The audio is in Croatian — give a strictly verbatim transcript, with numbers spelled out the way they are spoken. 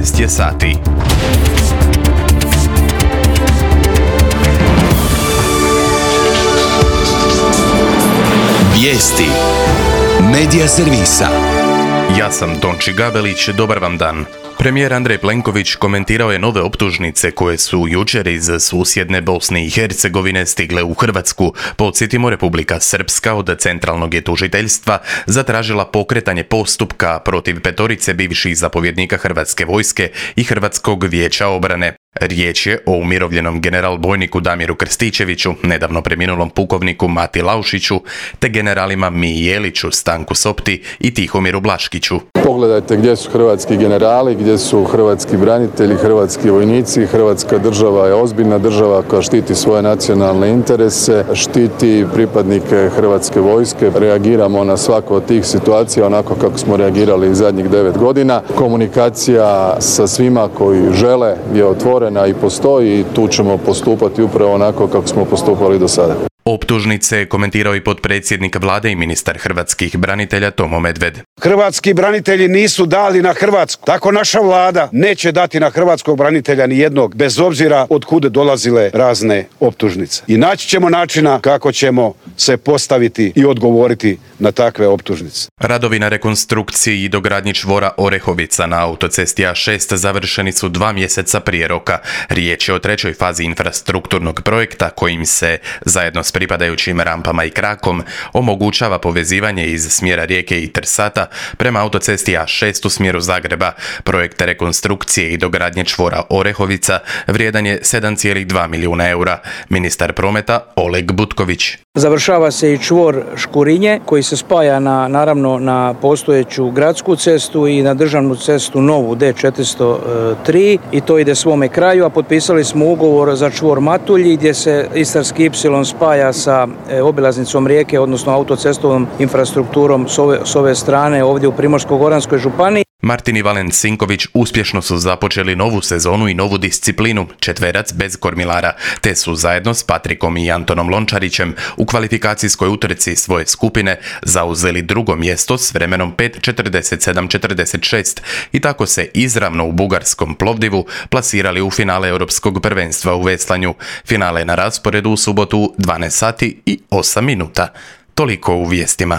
dvanaest je sati. Vijesti Medija servisa. Ja sam Tonči Gabelić, dobar vam dan. Premijer Andrej Plenković komentirao je nove optužnice koje su jučer iz susjedne Bosne i Hercegovine stigle u Hrvatsku. Podsjetimo, Republika Srpska od centralnog je tužiteljstva zatražila pokretanje postupka protiv petorice bivših zapovjednika Hrvatske vojske i Hrvatskog vijeća obrane. Riječ je o umirovljenom general bojniku Damiru Krstičeviću, nedavno preminulom pukovniku Mati Laušiću, te generalima Miji Jeliću, Stanku Sopti i Tihomiru Blaškiću. Pogledajte gdje su hrvatski generali, gdje su hrvatski branitelji, hrvatski vojnici. Hrvatska država je ozbiljna država koja štiti svoje nacionalne interese, štiti pripadnike Hrvatske vojske. Reagiramo na svaku od tih situacija onako kako smo reagirali zadnjih devet godina. Komunikacija sa svima koji žele je otvorena i postoji i tu ćemo postupati upravo onako kako smo postupali do sada. Optužnice komentirao i potpredsjednik vlade i ministar hrvatskih branitelja Tomo Medved. Hrvatski branitelji nisu dali na Hrvatsku. Tako naša vlada neće dati na hrvatskog branitelja ni jednog, bez obzira od kuda dolazile razne optužnice. I naći ćemo načina kako ćemo se postaviti i odgovoriti na takve optužnice. Radovi na rekonstrukciji i dogradnji čvora Orehovica na autocesti A šest završeni su dva mjeseca prije roka. Riječ je o trećoj fazi infrastrukturnog projekta kojim se, zajedno s pripadajućim rampama i krakom, omogućava povezivanje iz smjera Rijeke i Trsata prema autocesti A šest u smjeru Zagreba. Projekt rekonstrukcije i dogradnje čvora Orehovica vrijedan je sedam zarez dva milijuna eura. Ministar prometa Oleg Butković. Završava se i čvor Škurinje koji se spaja na, naravno na postojeću gradsku cestu i na državnu cestu novu D četiristo tri i to ide svome kraju, a potpisali smo ugovor za čvor Matulji gdje se Istarski ipsilon spaja sa obilaznicom Rijeke, odnosno autocestovnom infrastrukturom s ove, s ove strane ovdje u Primorsko-goranskoj županiji. Martin i Valen Sinković uspješno su započeli novu sezonu i novu disciplinu, četverac bez kormilara, te su zajedno s Patrikom i Antonom Lončarićem u kvalifikacijskoj utrci svoje skupine zauzeli drugo mjesto s vremenom pet četrdeset sedam četrdeset šest i tako se izravno u bugarskom Plovdivu plasirali u finale Europskog prvenstva u veslanju. Finale je na rasporedu u subotu dvanaest sati i osam minuta. Toliko u vijestima.